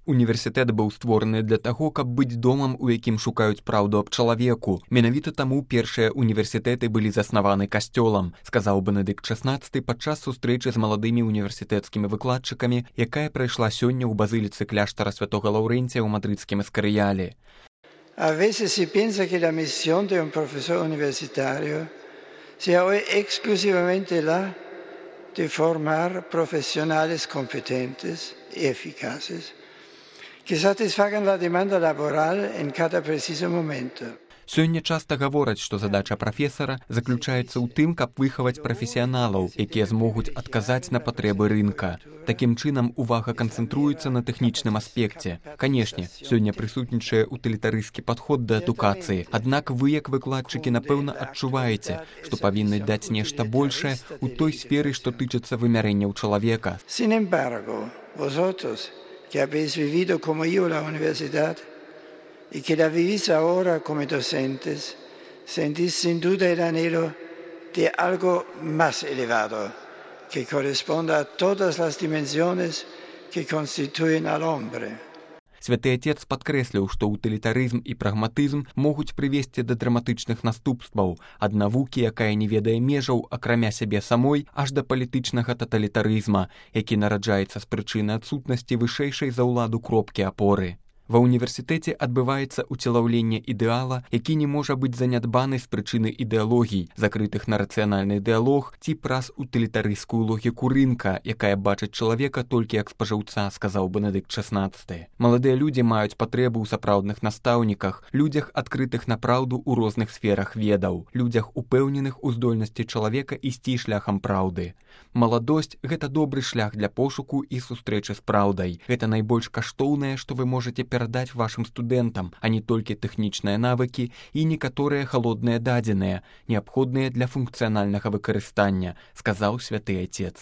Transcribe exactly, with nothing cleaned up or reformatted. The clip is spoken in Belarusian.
Універсітэт быў створаны для таго, каб быць домам, у якім шукаюць праўду аб чалавеку. Менавіта таму першыя універсітэты былі заснаваны касцёлам, сказаў Бенедыкт шаснаццаты падчас сустрэчы з маладымі універсітэцкімі выкладчыкамі, якая прайшла сёння ў базыліцы кляштара святога Лаўрэнція ў мадрыдскім эскарыяле. A veces si piensa que la misión de un profesor universitario sea hoy exclusivamente la de formar profesionales competentes y eficaces que satisfagan la demanda laboral en cada preciso momento. Сёння часта гавораць, што задача прафесара заключаецца ў тым, каб выхаваць прафесіяналаў, якія змогуць адказаць на патрэбы рынка. Такім чынам увага канцэнтруецца на тэхнічным аспекце. Канешне, сёння прысутнічае утылітарысцкі падход да адукацыі, аднак вы, як выкладчыкі, напэўна, адчуваеце, што павінны даць нешта большае ў той сферы, што тычыцца вымярэнняў чалавека. Sin embargo, vosotros, que habéis vivido como yo la universidad, y que la vivís ahora como docentes, sentís sin duda el anhelo de algo más elevado, que corresponda a todas las dimensiones que constituyen al hombre. Святы Отец падкрэсліў, што утылітарызм і прагматызм могуць прывесці да драматычных наступстваў, ад навукі, якая не ведае межаў, акрамя сябе самой, аж да палітычнага таталітарызма, які нараджаецца з прычыны адсутнасці вышэйшай за ўладу кропкі апоры. Ва ўніверсітэце адбываецца уцелаўленне ідэала, які не можа быць занядбаны з прычыны ідэалогій, закрытых на рацыянальны дыялог ці праз утылітарысцкую логіку рынка, якая бачыць чалавека толькі як спажыўца, сказаў Бенедыкт шаснаццаты. Маладыя людзі маюць патрэбу ў сапраўдных настаўніках, людзях, адкрытых на праўду ў розных сферах ведаў, людзях, упэўненых у здольнасці чалавека ісці шляхам праўды. Маладосць – гэта добры шлях для пошуку і сустрэчы з праўдай. Гэта найбольш каштоўнае, што вы можаце перадаць вашым студэнтам, а не толькі тэхнічныя навыкі і некаторыя халодныя дадзеныя, неабходныя для функцыянальнага выкарыстання, сказаў Святы Отец.